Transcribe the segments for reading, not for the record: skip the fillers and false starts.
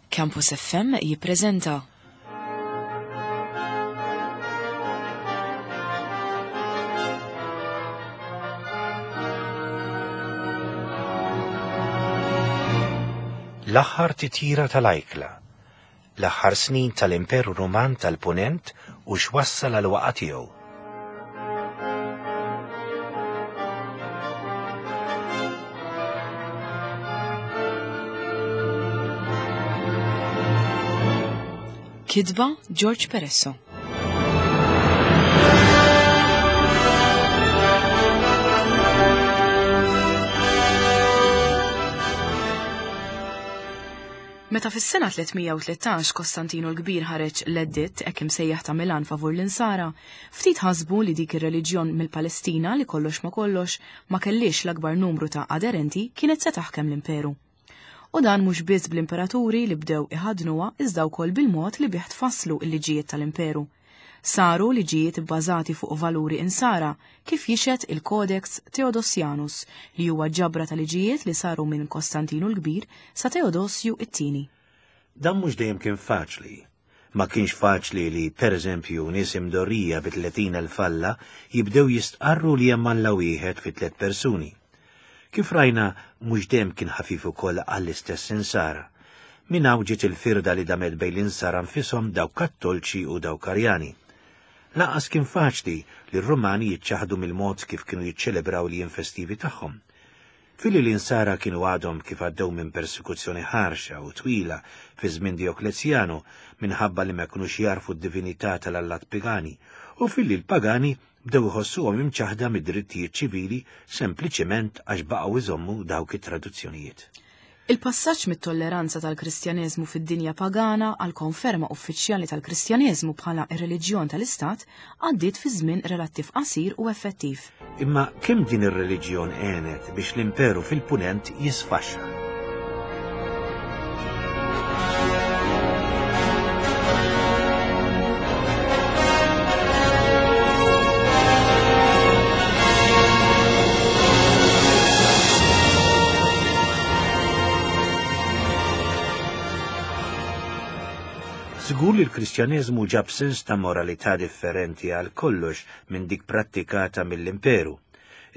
Campus FM jippreżenta. L-aħħar titjira tal-ajkla, l-aħħar snin tal-Imperu Ruman tal-Punent u x'wassal għal waqa' tiegħu. Kitba George Peresso. Meta fis-sena 313 Kostantinu l-Kbir ħareġ l-editt hekk imsejjaħ ta' Milan favur l-Insara, ftit ħasbu li dik ir-reliġjon mill-Palestina li kollox ma kollox ma kellhiex l-akbar numru ta' aderenti kienet se taħkem l-imperu. U dan mhux biss bl-imperaturi li bdew iħaddnuha iżda wkoll bil-mod li bih tfasslu l-liġijiet tal-imperu. Saru liġijiet ibbażati fuq valuri Insara, kif jixhed il-Codex Theodosianus, li huwa ġabra ta' liġijiet li saru minn Kostantinu l-Kbir sa Teodosju it-Tieni. Dan mhux dejjem kien faċli. Ma kienx faċli li, per eżempju, nies imdorrija bi 30,000 alla jibdew jistqarru li hemm Alla wieħed fi tliet persuni. Kif rajna, mhux dejjem kien ħafif ukoll għall-istess Insara. Minn hawn ġiet il-firda li damet bejn l-Insara nfishom dawk Kattolċi u dawk Arjani. Lanqas kien faċli li r-Rumani jiċċaħħdu mill-mod kif kienu jiċċelebraw il-jiem festivi tagħhom. Filli l-Insara kienu għadhom kif għaddew minn persekuzzjoni ħarxa u twila fi żmien Djoklezjanu minħabba li ma kinux jagħrfu d-divinità tal-allat pagani, u filli l-pagani bdew iħossuhom imċaħħda mid-drittijiet ċivili sempliċement għax baqgħu jżommu dawk it-traduzzjonijiet. Il-passaġġ mit-tolleranza tal-Kristjaneżmu fid-dinja pagana għall-konferma uffiċjali tal-Kristjaneżmu bħala r-reliġjon tal-Istat għaddiet fi żmien relattiv qasir u effettiv. Imma kemm din ir-reliġjon għenet biex l-imperu fil-Punent jisfaxxa? Żgur li l-Kristjaneżmu ġab sens ta' moralità differenti għal kollox minn dik prattikata mill-Imperu.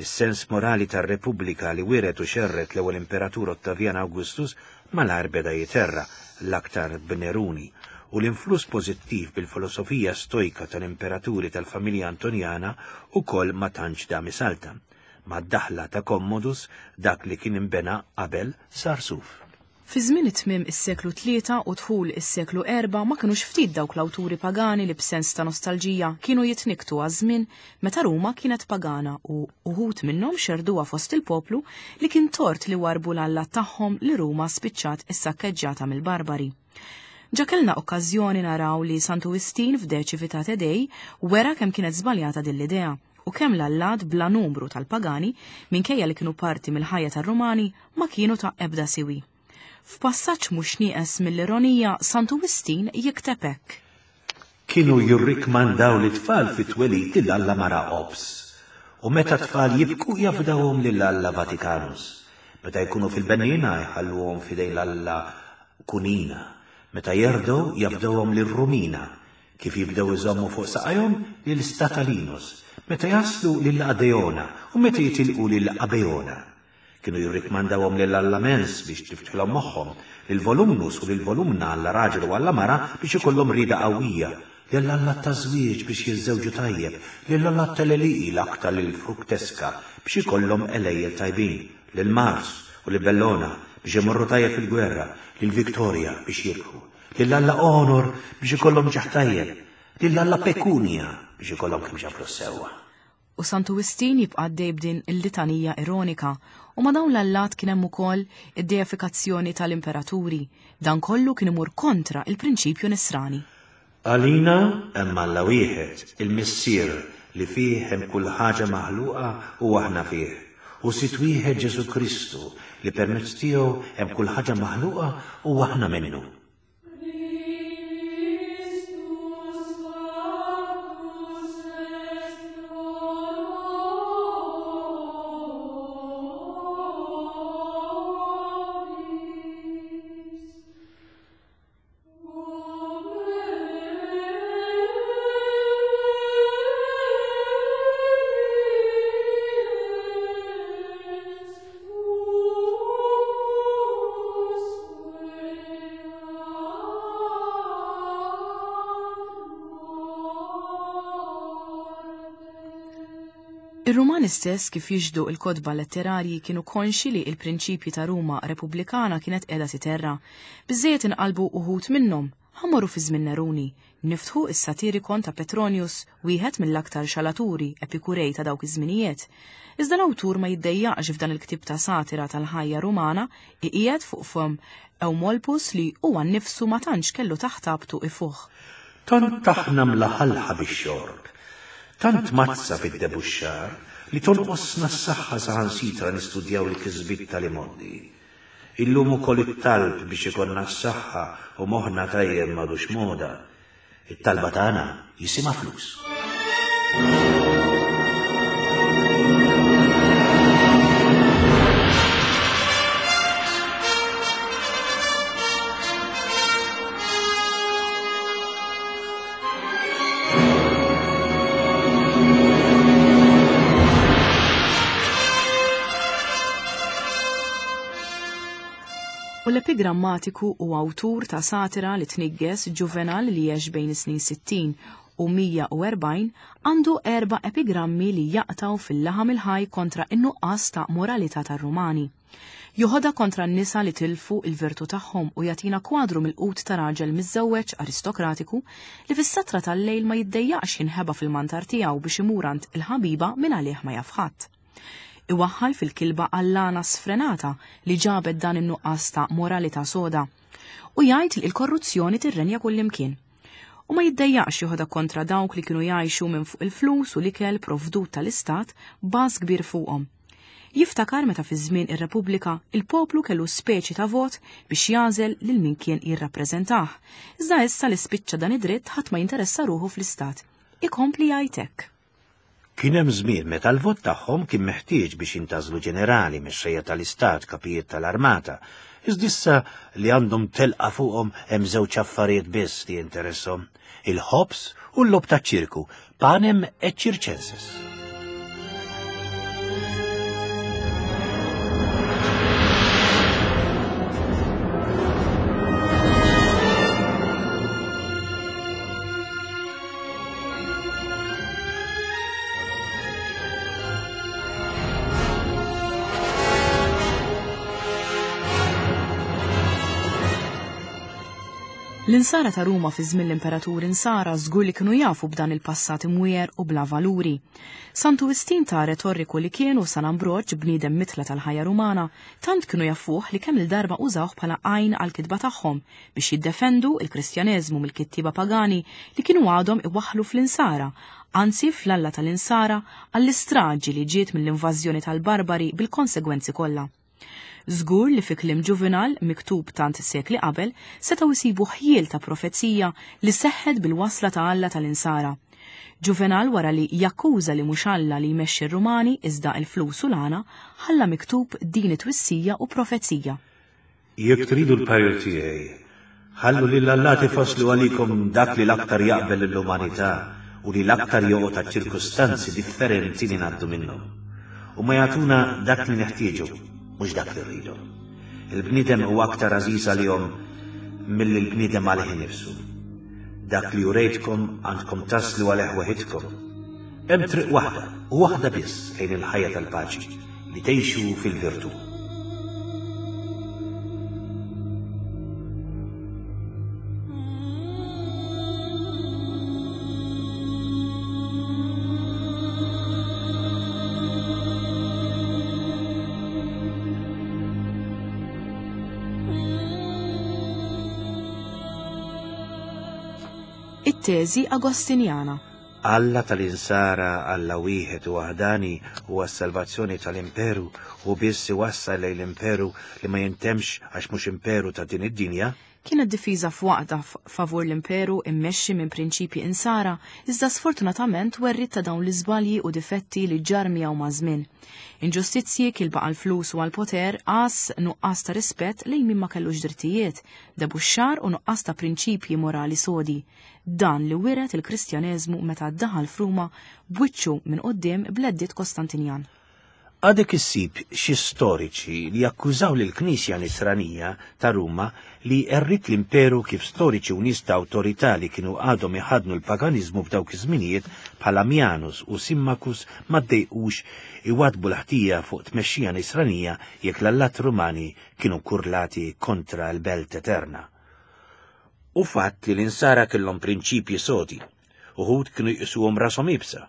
Is-sens morali tar-Repubblika li wiret u xerred l-ewwel Imperatur Ottavian Augustus malajr beda jiterra, l-aktar b'Neruni, u l-influss pożittiv bil-filosofija Stojka tal-imperaturi tal-familja Antonjana ukoll ma tantx dam isaltan. Mad-daħla ta' Commodus, dak li kien inbena qabel sar suf. Fi żmien it-tmiem is-seklu tlieta u dħul is-seklu erbgħa ma kinux ftit dawk l-awturi pagani li b'sens ta' nostalġija kienu jitnikktu għaż-żmien meta Ruma kienet pagana u uħud minnhom xerrduha fost il-poplu li kien tort li warrbu l-allat tagħhom li Ruma spiċċat issakkeġġjata mill-barbari. Ġa kellna okkażjoni naraw li Santu Wistin f'De Civitate Dei wera kemm kienet żbaljata din l-idea u kemm l-allat bla numru tal-pagani, minkejja li kienu parti mill-ħajja tar-Rumani, ma kienu ta' ebda siwi. F'passaġġ mhux nieqes mill-ironija, Santu Wistin jikteb hekk. Kienu jirrikmandaw lit-tfal fit-twelid lil alla mara Ops, u meta t-tfal jibku jafdawhom lil alla Vaticanus. Meta jkunu fil-benniena jħalluhom f'idejn l-alla Kunina, meta jerdgħu jafdawhom lil Rumina, Kif jibdew iżommu fuq saqajhom lil Statalinus, meta jaslu lil Adeona u meta jitilqu lil Abeona. Kienu jirrikmandawhom lil Alla Mens biex tiftħilhom moħħhom, lil Volumnus u lil Volumna Alla raġel u Alla mara biex ikollhom rieda qawwija, lil Alla taż-żwieġ biex jiżżewġu tajjeb, lil Alla tal-għelieqi l-aktar lil Fructesca biex ikollhom għelejjel tajbin, lil Mars u lil Bellona biex imorru tajjeb fil-gwerra, lil Victoria biex jirbħu. Lil Alla Onor biex ikollhom ġieħ tajjeb, lil Alla Pekunja biex ikollhom kemxa flus sewwa. U Santu Wistin jibqa' għaddej b'din il-litanija ironika, u ma' dawn l-allat kien hemm ukoll id-deifikazzjoni tal-imperaturi. Dan kollu kien imur kontra il-prinċipju nisrani. Għalina hemm Alla wieħed, il-Missier, li fih hemm kull ħaġa maħluqa u aħna fih, u Sid wieħed Ġesù Kristu, li permezz tiegħu hemm kull ħaġa maħluqa u aħna minnu. Ir-Rumani stess kif jixhdu l-kotba letterarji kienu konxji li l-prinċipji ta' Ruma repubblikana kienet qiegħda titerra. Biżżejjed inqallbu uħud minnhom. Ħa mmorru fi żmien Neruni. Niftħu s-Satirikon ta' Petronius, wieħed mill-aktar xalaturi Epikurej ta' dawk iż-żminijiet. Iżda l-awtur ma jiddejjaqx f'dan il-ktieb ta' satira tal-ħajja Rumana iqiegħed fuq fomm Eumolpus li huwa nnifsu ma tantx kellu taħt għabtu ifuħ. Tant aħna mlaħalħa bix-xorb, tant mgħaddsa fid-debuxxar li tonqosna s-saħħa saħansitra nistudjaw il-kisbiet tal-imgħoddi. Illum ukoll it-talb biex ikollna s-saħħa u moħħna tajjeb m'għadux moda. It-talba tagħna jisimha flus. U l-epigrammatiku u awtur ta' satira li tniggeż Ġuvenal li għex bejn is-snin 60 u 140 għandu erba' epigrammi li jaqtgħu fil-laħam il-ħaj kontra n-nuqqas ta' moralità tar-Rumani. Joħodha kontra n-nisa li tilfu l-virtù tagħhom u jagħtina kwadru milqut ta' raġel miżżewweġ aristokratiku li fis-satra tal-lejl ma jiddejjaqx jinħeba fil-mantar tiegħu biex imur għand il-ħabiba minn għalih ma jaf ħadd. Iwaħħal fil-kilba għall-għana sfrenata li ġabet dan in-nuqqas ta' moralità soda. U jgħid li l-korruzzjoni tirrenja kullimkien. U ma jiddejjaqx joħodha kontra dawk li kienu jgħixu minn fuq il-flus u l-ikel provdut tal-istat b'għażż kbir fuqhom. Jiftakar meta fi żmien ir-Repubblika il-poplu kellu speċi ta' vot biex jagħżel lil min kien jirrappreżentah. Iżda issa li spiċċa dan id-dritt ħadd ma jinteressa ruħu fl-istat. Ikompli jgħid hekk. Kien hemm żmien meta l-vot tagħhom kien meħtieġ biex jintgħażlu ġenerali, mexxejja tal-istat, kapijiet tal-armata. Iżda issa li għandhom telqa fuqhom hemm żewġ affarijiet biss li jinteresshom, il-ħobż u l-logħob taċ-ċirku, panem et circenses. L-insara ta' Ruma fi żmien l-imperaturi Nsara żgur li kienu jafu b'dan il-passat imwiegħer u bla valuri. Santu Wistin ta' retorriku li kien u San Ambroġ, bniedem mitla tal-ħajja Rumana, tant kienu jafuh li kemm-il darba użawh bħala għajn għall-kitba tagħhom biex jiddefendu l-Kristjaneżmu mill-kittieba pagani li kienu għadhom iwaħħlu fl-Insara, anzi fl-Alla tal-Insara, għall-istraġi li ġiet mill-invażjoni tal-barbari bil-konsegwenzi kollha. Żgur li fi kliem Ġuvinal, miktub tant sekli qabel, setgħu jsibu ħjiel ta' profezija li seħħet bil-wasla ta' Alla tal-Insara. Ġuvenal wara li jakkuża li mhux Alla li jmexxi r-Rumani iżda l-flus u l-għana, ħalla miktub din it-twissija u profezija. Jekk tridu l-parir tiegħi, ħallu lill-allat ifasslu għalikom dak li l-aktar jaqbel lill-umanità u li l-aktar joqgħod għaċ-ċirkustanzi differenti li ngħaddu minnhom. Huma jagħtuna dak li neħtieġu, mhux dak li rridu. Il-bniedem huwa aktar għażiż għalihom milli l-bniedem għalih innifsu. Dak li urejtkom għandkom taslu għalih weħidkom. Hemm triq waħda u waħda biss lejn il-ħajja tal-paċi. Li tgħixu fil-virtù. It-teżi Agostinjana. Alla tal-Insara, Alla wieħed u waħdani, huwa s-salvazzjoni tal-imperu, hu biss iwassal lejn l-imperu li ma jintemmx għax mhux imperu ta' din id-dinja. Kienet difiża f'waqtha favur l-imperu immexxi minn prinċipji Insara, iżda sfortunatament werriet ta' dawn l-iżbalji u difetti li ġarr miegħu maż-żmien. Inġustizzji, kilba għall-flus u għall-poter, għażż, nuqqas ta' rispett lejn min ma kellux drittijiet, debuxxar u nuqqas ta' prinċipji morali sodi. Dan li wiret il-Kristjaneżmu meta daħal f'Ruma b'wiċċu minn quddiem bl-Editt Kostantinjan. Għadek issib xi storiċi li jakkużaw lill-Knisja Nisranija ta' Ruma li għerriet l-imperu kif storiċi u nies ta' awtorità li kienu għadhom iħaddnu l-paganiżmu f'dawk iż-żminijiet bħal Ammianus u Symmachus ma ddejqux iwaddbu l-ħtija fuq tmexxija Nisranija jekk l-allat Rumani kienu kkurlati kontra l-belt eterna. Hu fatt li l-Insara kellhom prinċipji sodi. Uħud kienu jqisuhom rashom iebsa.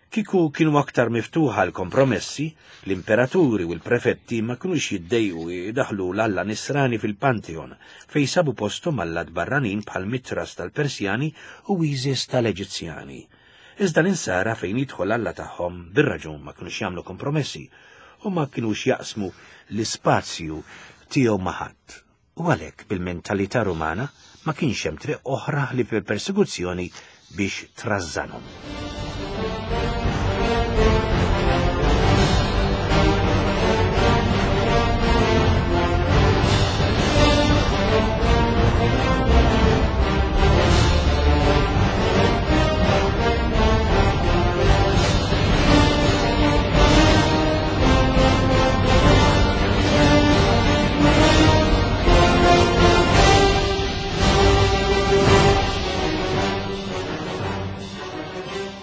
Kieku kienu aktar miftuħa għal kompromessi, l-imperaturi u l-prefetti ma kinux jiddejqu idaħħlu l-alla Nisrani fil-Pantheon, fejn sabu posthom allat barranin bħal Mitras tal-Persjani u Isis tal-Eġizzjani. Iżda l-Insara fejn jidħol alla tagħhom bir-raġun ma kinux jagħmlu kompromessi u ma kinux jaqsmu l-ispazju tiegħu ma' ħadd. U għalhekk bil-mentalità Rumana ma kienx hemm triq oħra ħlief il-persekuzzjoni biex trażżanhom.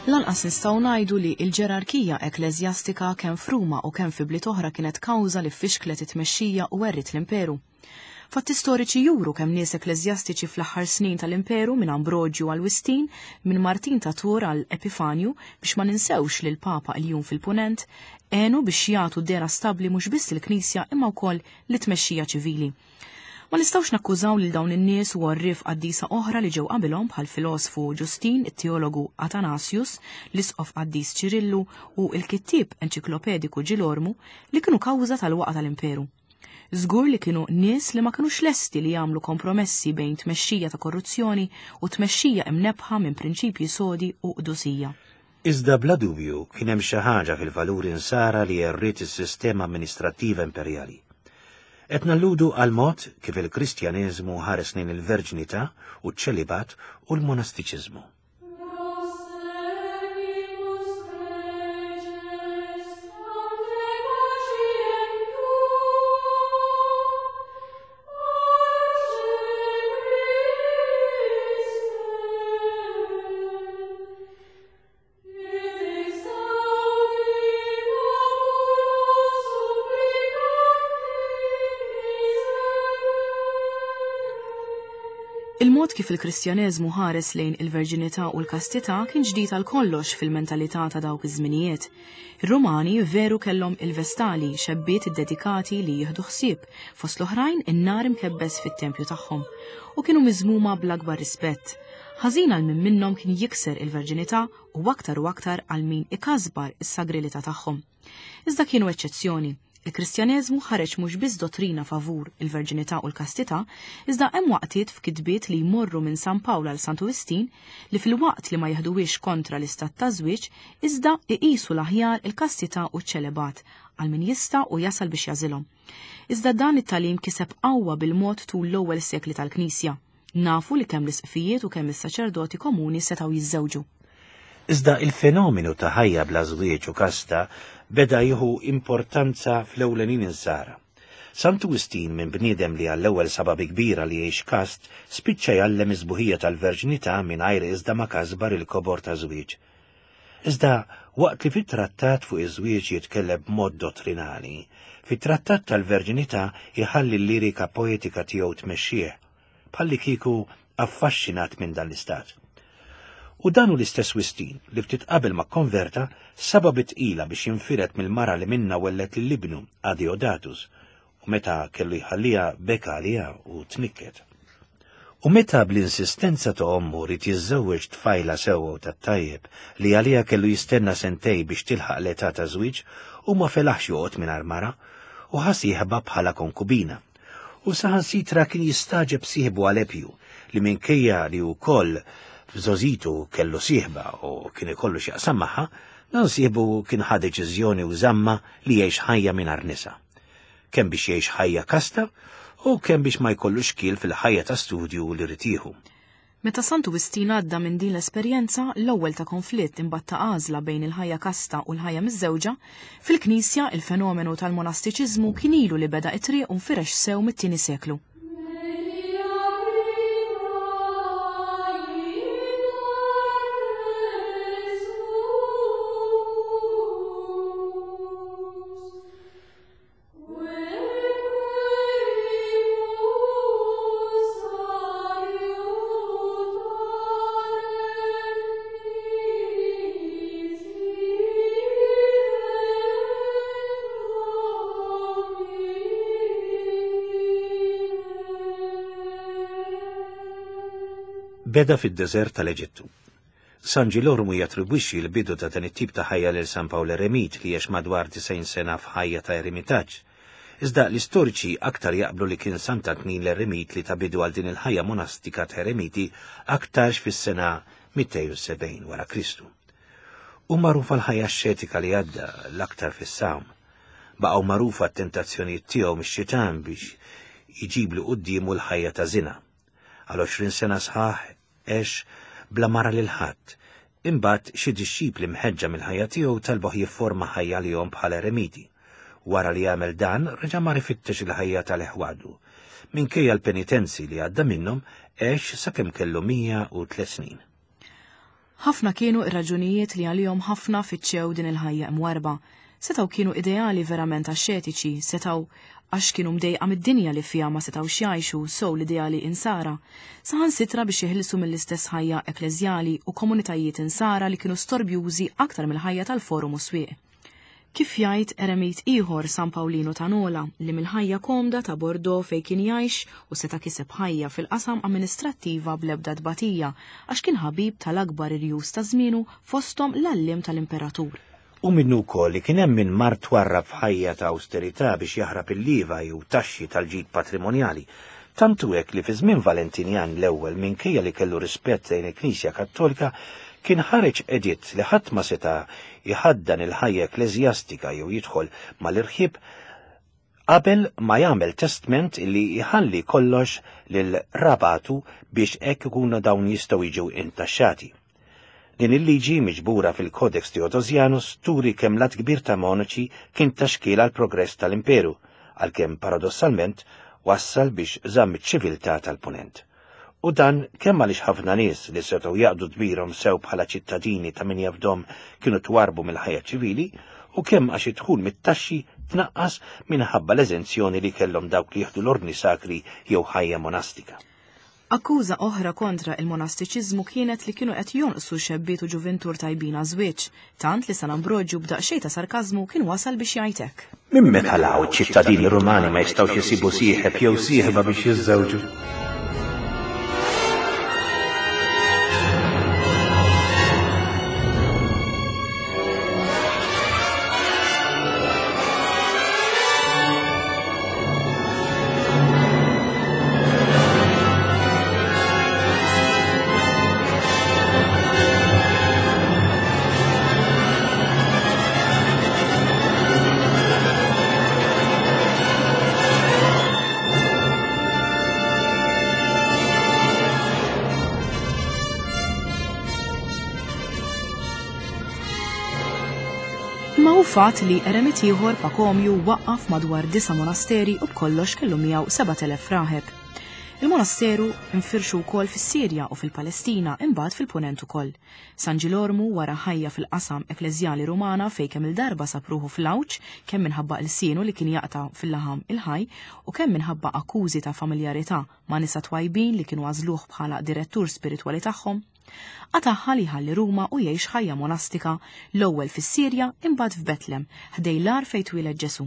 Lanqas nistgħu ngħidu li l-ġerarkija ekkleżjastika kemm f'Ruma u kemm fi bliet oħra kienet kawża li fixklet it-tmexxija u għerriet l-imperu. Fatti storiċi juru kemm nies ekkleżjastiċi fl-aħħar snin tal-Imperu minn Ambroġju għal Wistin, minn Martin ta' Tours għal Epifanju, biex ma ninsewx lil Papa Iljun fil-Punent, għenu biex jagħtu dehra stabbli mhux biss lill-Knisja imma wkoll lit-tmexxija ċivili. Ma nistgħux nakkużaw lil dawn in-nies u għorrief qaddisa oħra li ġew qabilhom bħall-filosfu Ġustin, it-teologu Atanasius, l-isqof qaddis Ċirillu u l-kittieb enċiklopediku Ġilormu li kienu kawża tal-waqgħa tal-Imperu. Żgur li kienu nies li ma kinux lesti li jagħmlu kompromessi bejn tmexxija ta' korruzzjoni u tmexxija imnebbħa minn prinċipji sodi u qdusija. Iżda bla dubju kien hemm xi ħaġa fil-valuri Nsara li għerriet is-sistema amministrattiva imperjali. Qed nalludu għall-mod kif il-Kristjaneżmu ħares lejn il-verġnità u ċ-ċelibat u l-monastiċiżmu. Il-mod kif il-Kristjaneżmu ħares lejn il-verġinità u l-kastità kien ġdid għal kollox fil-mentalità ta' dawk iż-żminijiet. Ir-Rumani veru kellhom il-Vestali, xebbiet iddedikati li jieħdu ħsieb, fost l-oħrajn, in-nar imkebbes fit-tempju tagħhom, u kienu miżmuma bl-akbar rispett. Ħażin għal min minnhom kien jikser il-verġinità u aktar u aktar għal min ikasbar is-sagrilità tagħhom. Iżda kienu eċċezzjoni. Il-Kristjaneżmu ħareġ mhux biss dottrina favur il-verġinità u l-kastità, iżda hemm waqtiet f'kitbiet li jmorru minn San Pawl għal Santu Wistin li filwaqt li ma jeħduhiex kontra l-istat ta' żwieġ, iżda iqisu l-aħjar il-kastità u ċ-ċelebat għal min jista' u jasal biex jagħżilhom. Iżda dan it-tagħlim kiseb qawwa bil-mod tul l-ewwel sekli tal-Knisja. Nafu li kemm l-isqfijiet u kemm is-saċerdoti komuni setgħu jiżżewġu. Iżda il-fenomenu ta' ħajja bla żwieġ u kasta beda jieħu importanza fl-ewlenin insara. Santu Wistin minn bniedem li għall-ewwel sabha bi kbira li jgħix kast, spiċċa jgħallem is-sbuħija tal-verġnità mingħajr iżda ma kasbar il-kobor ta' żwieġ. Iżda waqt li fit-trattat fuq iż-żwieġ jitkellem b'mod dottrinali, fit-trattat tal-verġnità jħalli l-lirika poetika tiegħu tmexxih. bħallikieku affaxxinat minn dan l-istat. U dan hu l-istess Wistin li ftit qabel ma kkonverta sabha bi tqila biex jinfired mill-mara li minnha welled lil ibnu, Adeodatus, u meta kellu jħalliha beka għaliha u tnikket. U meta bl-insistenza ta' ommu ried jiżżewweġ tfajla sewwa u tat-tajjeb li għaliha kellu jistenna sentej biex tilħaq l-età ta' żwieġ, hu ma felaħx joqgħod mingħajr mara u ħa sieħba bħala konkubina. U saħansitra kien jistagħġeb sieħbu Alepju li minkejja li wkoll f'żgħożitu kellu sieħba u kien ikollu x'jaqsam magħha, dan sieħbu kien ħa deċiżjoni u żamma li jgħix ħajja mingħajr nisa. Kemm biex jgħix ħajja kasta u kemm biex ma jkollux xkiel fil-ħajja ta' studju li ried jieħu. Meta Santu Wistin għadda minn din l-esperjenza, l-ewwel ta' konflitt imbagħad ta' għażla bejn il-ħajja kasta u l-ħajja miżżewġa, fil-Knisja il-fenomenu tal-monastiċiżmu kien ilu li beda t-triq u nfirex sew mit-tieni seklu. Beda fid-deżert tal-Eġittu. San Ġilormu jattribwixxi l-bidu ta' dan it-tip ta' ħajja lil San Pawl Eremit li għex madwar 90 sena f'ħajja ta' eremitaġġ. Iżda l-istoriċi aktar jaqblu li kien Sant'Antnin l-Eremit li ta bidu għal din il-ħajja monastika ta' eremiti aktarx fis-sena 270 wara Kristu. Hu magħruf għall-ħajja axxetika li għadda l-aktar fis-sawm. Baqgħu magħrufa t-tentazzjonijiet tiegħu mix-xitan biex jġiblu quddiemu l-ħajja ta' żina. Għal 20 sena sħaħ għex bla ma ra lil ħadd. Imbagħad xi dixxipli mħeġġa mill-ħajja tiegħu talbuh jifforma ħajja għalihom bħala eremiti. Wara li għamel dan, reġa' mar ifittex il-ħajja tal-eħwadu. Minkejja l-penitenzi li għadda minnhom, għex sakemm kellu 103 snin. Ħafna kienu r-raġunijiet li għalihom ħafna fittxew din il-ħajja imwarrba. Setgħu kienu ideali verament axxetiċi, setgħu għax kienu mdejqa mid-dinja li fiha ma setgħux jgħixu sew l-ideali Insara, saħansitra biex jeħilsu mill-istess ħajja ekkleżjali u komunitajiet Insara li kienu storbjużi aktar mill-ħajja tal-forum u s-swieq. Kif jgħid eremit ieħor San Pawlinu ta' Nola li mill-ħajja komda ta' Bordeaux fejn kien jgħix u seta' kiseb ħajja fil-qasam amministrattiva bl-ebda tbatija għax kien ħabib tal-akbar irjus ta' żmienu fosthom l-għalliem tal-imperatur. Hu minnu wkoll li kien hemm min mar twarrab f'ħajja ta' awsterità biex jaħrab il-lieva jew taxxi tal-ġid patrimonjali. Tant hu hekk li fi żmien Valentinjan l-ewwel minkejja li kellu rispett lejn il-Knisja Kattolika kien ħareġ editt li ħadd ma seta' jħaddan il-ħajja ekkleżjastika jew jidħol mal-irħieb qabel ma jagħmel testment li jħalli kollox lil rabatu biex hekk ikunu dawn jistgħu jiġu intaxxati. Din il-liġi miġbura fil-Codex Theodosianus turi kemm l-għadd kbir ta' monaċi kien ta' xkiel għall-progress tal-imperu, għalkemm paradossalment wassal biex żamm iċ-ċiviltà tal-Punent. U dan kemm għaliex ħafna nies li setgħu jaqdu dmirhom sew bħala ċittadini ta' min jafdhom kienu twarrbu mill-ħajja ċivili, u kemm għax id-dħul mit-taxxi tnaqqas minħabba l-eżenzjoni li kellhom dawk li jieħdu l-ordni sagri jew ħajja monastika. Akkuża oħra kontra il-monastiċiżmu kienet li kienu qed jonqsu xebbiet u ġuvintur tajbin għaż-żwieġ, tant li San Ambroġju b'daqsxejn ta' sarkażmu kien wasal biex jgħid hekk. Minn meta 'l hawn iċ-ċittadini Rumani ma jistgħux isibu sieħeb jew sieħba biex jiżżewġu? Imma hu fatt li eremit ieħor Pakomju waqqaf madwar disa' monasteri u b'kollox kellu miegħu 7,000 raħeb. Il-monasteru nfirxu wkoll fis-Sirja u fil-Palestina imbagħad fil-Punent ukoll. San Ġilormu wara ħajja fil-qasam ekkleżjali Rumana fejn kemm-il darba sab ruħu fl-għawġ kemm minħabba ilsienu li kien jaqta' fil-laħam il-ħaj u kemm minħabba akkużi ta' familjarità ma' nisa twajbin li kienu għażluh bħala direttur spiritwali tagħhom, qatagħha li jħalli Ruma u jgħix ħajja monastika l-ewwel fis-Sirja imbagħad f'Betlem ħdejn l-għar fejn twieled Ġesù.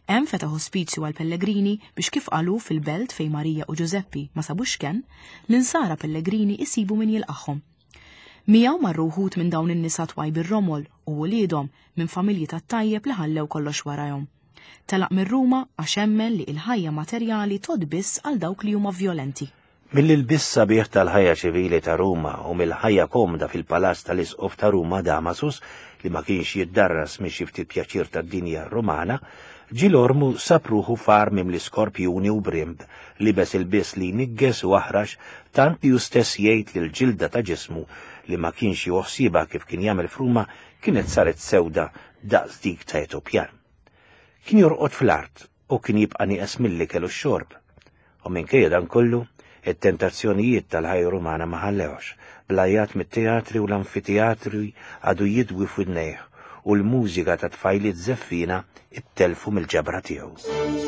Hemm fetaħ ospizju għall-pellegrini biex kif qal hu fil-belt fejn Marija u Ġużeppi ma sabux kenn, l-insara pellegrini jsibu min jilqagħhom. Miegħu marru wħud minn dawn in-nisa twajb ir-romol u uliedhom minn familji tat-tajjeb li ħallew kollox warajhom. Telaq minn Ruma għax emmen li il-ħajja materjali tgħodd biss għal dawk li huma vjolenti. Mill-ilbies sabiħ tal-ħajja ċivili ta' Ruma u mill-ħajja komda fil-palazz tal-Isqof ta' Ruma Damasus, li ma kienx jiddarras minn xi ftit pjaċir tad-dinja Rumana, Ġilormu sab ruħu f'għar mimli skorpjuni u brimb, libes ilbies li jniggeż u aħrax tant li hu stess jgħid li l-ġilda ta' ġismu, li ma kienx jieħu ħsiebha kif kien jagħmel f'Ruma, kienet saret sewda daqs dik ta' Etopjan. Kien jorqod fl-art u kien jibqa' nieqes mill-ikel u x-xorb. U minkejja dan kollu, it-tentazzjonijiet tal-ħajja Rumana ma ħallewhx, bl-għajjat mit-teatri u l-anfiteatri għadu jidwi f'widnejh u l-mużika ta' tfajliet żeffiena ttellfu mill-ġabra tiegħu.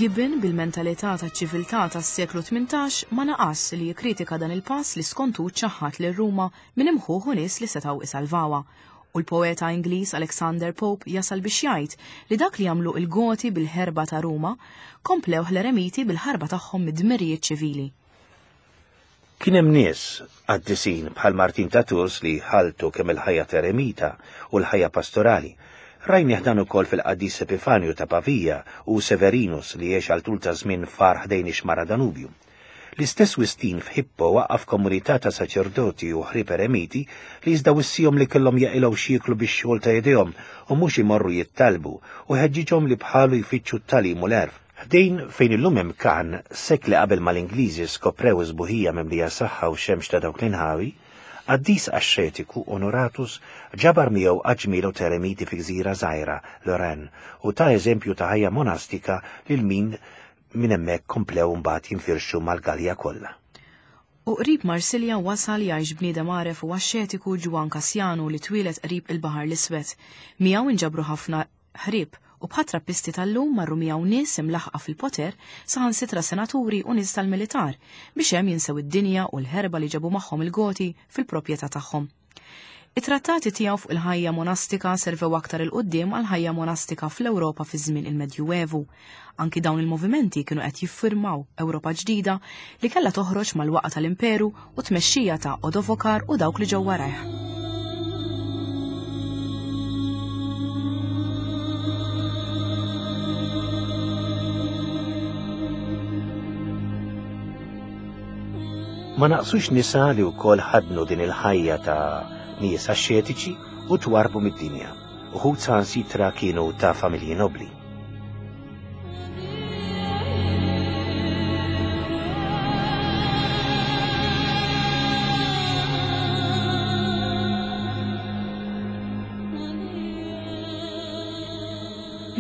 Gibbon bil-mentalità taċ-ċiviltà tas-seklu 18 ma naqas li jikkritika dan il-pass li skontu ċaħħad lil Ruma minn imħuħ u nies li setgħu isalvawha U l-poeta Ingliż Alexander Pope jasal biex jgħid li dak li għamlu il-Goti bil-ħerba ta' Ruma, komplewh l-eremiti bil-ħarba tagħhom mid-dmirijiet ċivili. Kien hemm nies qaddisin bħal Martin ta' Tours li ħaltu kemm il-ħajja t'eremita u l-ħajja pastorali. Rajnih dan ukoll fil-qaddis Epifanju ta' Pavia u Severinus li għex għal tul ta' żmien f'għar ħdejn ix-xmara Danubju. L-istess Wistin f'Hippo waqqaf komunità ta' saċerdoti u ħrieb eremiti li iżda wissihom li kellhom jaqilgħu x'jieklu bix-xogħol ta' idejhom u mhux imorru jittalbu u ħeġġiġhom li bħalu jfittxu t-tagħlim u l-għerf. Ħdejn fejn illum hemm Cannes, sekli qabel ma l-Ingliżi skoprew is-sbuħija mimlija saħħa u xemx ta' dawk l-inħawi, qaddis axxetiku, Onoratus, ġabar miegħu għadd ġmielu t'eremiti fi gżira żgħira, Lorraine, u ta eżempju ta' ħajja monastika lil min Minn hemmhekk komplew imbagħad jinfirxu mal-Galja kollha. U qrib Marsilja wasal jgħix bniedem għaref u axxetiku Ġwann Kassjanu li twieled qrib il-Baħar l-Iswed. Miegħu inġabru ħafna ħrieb, u bħat-trappisti tal-lum marru miegħu nies imlaħħqa fil-poter, saħansitra senaturi u nies tal-militar, biex hemm jinsew id-dinja u l-ħerba li ġabu magħhom il-Goti fil-proprjetà tagħhom. It-trattati tiegħu fuq il-ħajja monastika servew aktar 'il quddiem għall-ħajja monastika fl-Ewropa fi żmien il-Medjuevu. Anki dawn il-movimenti kienu qed jiffirmaw Ewropa ġdida li kellha toħroġ mal-waqgħa tal-Imperu u t-tmexxija ta' Odovokar u dawk li ġew warajh. Ma naqsux nisa li wkoll ħaddnu din il-ħajja ta' nies axxetiċi u twarrbu mid-dinja. Uħud saħansitra kienu ta' familji nobbli.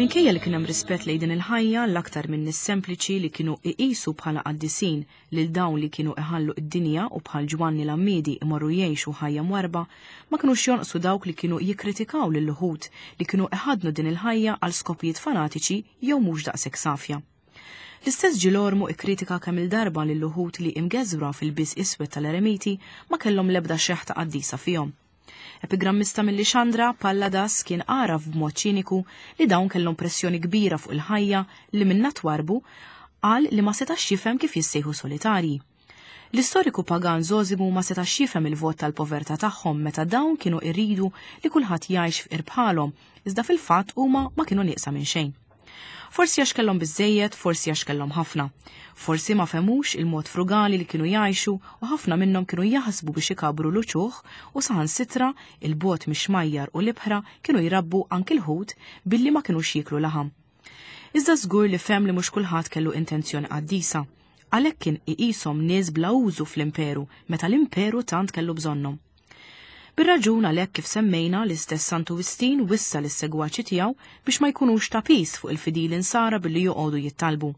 Minkejja li kien hemm rispett lejn din il-ħajja, l-aktar minn nies sempliċi li kienu iqisu bħala qaddisin lil dawn li kienu iħallu d-dinja u bħal Ġwanni l-Għammiedi imorru jgħixu ħajja mwarrba, ma kinux jonqsu dawk li kienu jikkritikaw lil uħud li kienu iħaddnu din il-ħajja għal skopijiet fanatiċi jew mhux daqshekk safja. L-istess Ġilormu ikkritika kemm-il darba lil uħud li imgeżwra f'ilbies iswed tal-eremiti ma kellhom l-ebda xeħta qaddisa fihom. Epigrammista minn Lixandra, Palladas kien għaraf b'mod ċiniku li dawn kellhom pressjoni kbira fuq il-ħajja li minnha twarrbu, qal li ma setax jifhem kif jissejħu solitarji. L-istoriku pagan Żosimu ma setax jifhem il-vot tal-povertà tagħhom meta dawn kienu iridu li kulħadd jgħix fqir bħalhom, iżda fil-fatt huma ma kienu nieqsa minn xejn. Forsi għax kellhom biżżejjed, forsi għax kellhom ħafna. Forsi ma fehmux il-mod frugali li kienu jgħixu u ħafna minnhom kienu jaħsbu biex ikabbru l-uċuħ u saħansitra 'il bogħod mix-xmajjar u l-ibħra kienu jrabbu anki l-ħut billi ma kinux jieklu laħam. Iżda żgur li fehem li mhux kulħadd kellu intenzjoni qaddisa. Għalhekk kien iqishom nies bla użu fl-imperu meta l-imperu tant kellu bżonnhom. Bir-raġun għalhekk kif semmejna l-istess Santu Wistin wissa lis-segwaċi tiegħu biex ma jkunux ta' piż fuq il-fidili nsara billi joqogħdu jittalbu.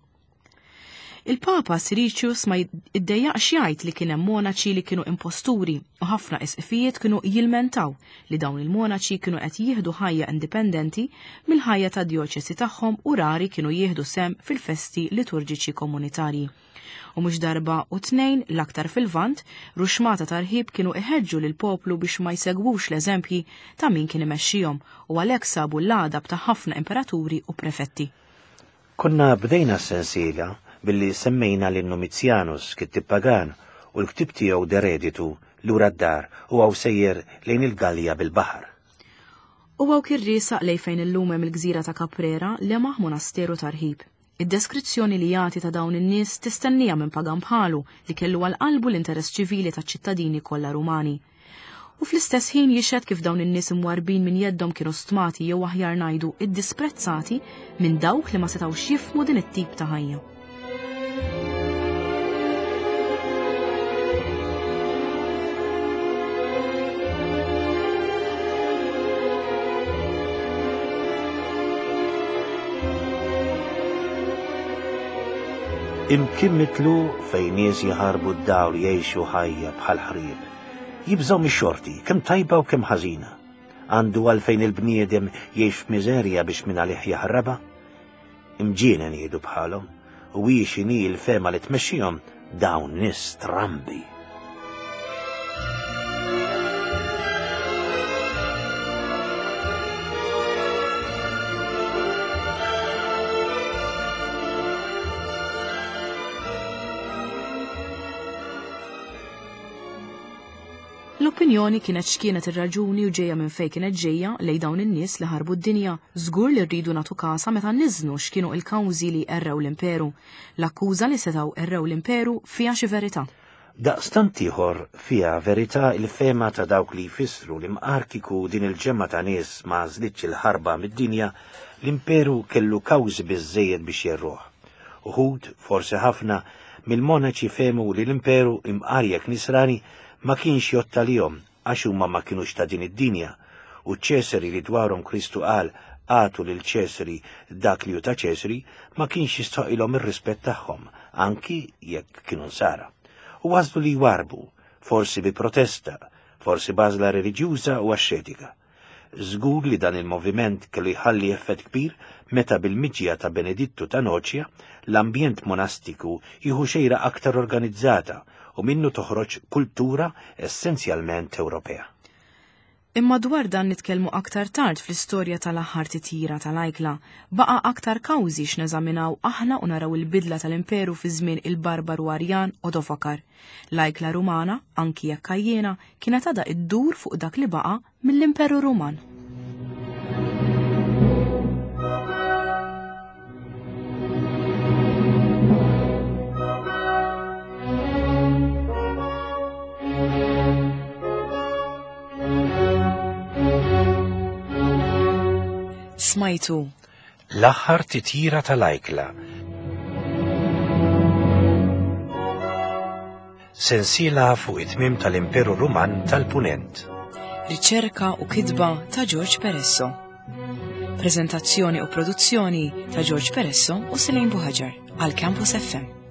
Il-Papa Siricius ma iddejjaqx jgħid li kien hemm monaċi li kienu imposturi u ħafna isqfijiet kienu jilmentaw li dawn il-monaċi kienu qed jieħdu ħajja indipendenti mill-ħajja tad-djoċesi tagħhom u rari kienu jieħdu sehem fil-festi liturġiċi komunitarji. U mhux darba u tnejn, l-aktar fil-Lvant, ruxxmata ta' rħieb kienu iħeġġu lill-poplu biex ma jsegwux l-eżempji ta' min kien imexxihom u għalhekk sabu l-għadab ta' ħafna imperaturi u prefetti. Konna bdejna s-sensiela billi semmejna lil Numizjanus, kittieb pagan, u l-ktieb tiegħu De Reditu, Lura d-Dar, u hawn sejjer lejn il-Gallja bil-baħar. U hawn kien riesaq lejn fejn illum hemm il-gżira ta' Caprera, lemaħ monasteru ta' rħib. Id-deskrizzjoni li jagħti ta' dawn in-nies tistenniha minn pagan bħalu li kellu għal qalbu l-interess ċivili taċ-ċittadini kollha Rumani. U fl-istess ħin jixhed kif dawn in-nies imwarrbin minn jeddhom kienu stmati jew aħjar ngħidu iddisprezzati minn dawk li ma setgħux jifhmu din it-tip ta' ħajja. Imkien mitlu fejn nies jaħarbu d-dawl jgħixu ħajja bħal ħrieb. Jibżgħu mix-xorti, kemm tajba u kemm ħażina. Għandu għalfejn il-bniedem jgħix f'miżerja biex minn għalih jaħrabha? Imġienen jgħidu bħalhom, u hi x'inhi l-fehma li tmexxihom dawn nies strambi. L-opinjoni kienet x'kienet ir-raġuni u ġejja minn fejn kienet ġejja lejn dawn in-nies li ħarbu d-dinja, żgur li rridu nagħtu kasha meta niżnu x'kienu il-kawżi li għerrew l-imperu. L-akkuża li setgħu għerrew l-imperu fiha xi verità. Daqstant ieħor fiha verità l-fehma ta' dawk li jfissru li mqar kieku din il-ġemgħa ta' nies ma għażlitx il-ħarba mid-dinja, l-imperu kellu kawżi biżżejjed biex jgħerruh. Uħud, forsi ħafna, mill-monaċi fehmu li l-imperu, imqar jekk Nisrani, ma kienx jgħodd għalihom għax huma ma kinux ta' din id-dinja, u ċ-Ċesari li dwarhom Kristu qal agħtu lil Ċesari dak li hu ta' Ċesari, ma kienx jistħoqilhom ir-rispett tagħhom, anki jekk kienu Nsara. U għażlu li jwarrbu, forsi bi protesta, forsi b'għażla reliġjuża u axxetika. Żgur li dan il-moviment kellu jħalli effett kbir meta bil-miġja ta' Benedittu ta' Noċja l-ambjent monastiku jieħu xejra aktar organizzata u minnu toħroġ kultura essenzjalment Ewropea. Imma dwar dan nitkellmu aktar tard fl-istorja tal-aħħar titjira tal-ajkla. Baqa' aktar kawżi x'neżaminaw aħna u naraw il-bidla tal-imperu fi żmien il-barbaru Arjan Odovakar. L-ajkla Rumana, anki jekk għajjiena, kienet għadha iddur fuq dak li baqa' mill-Imperu Ruman. Smajtu. L-aħħar titjira tal-ajkla. Sensiela fuq it-tmiem tal-Imperu Ruman tal-Punent. Riċerka u kitba ta' George Peresso. Prezentazzjoni u produzzjoni ta' George Peresso u Selene Buhaġar għal Campus FM.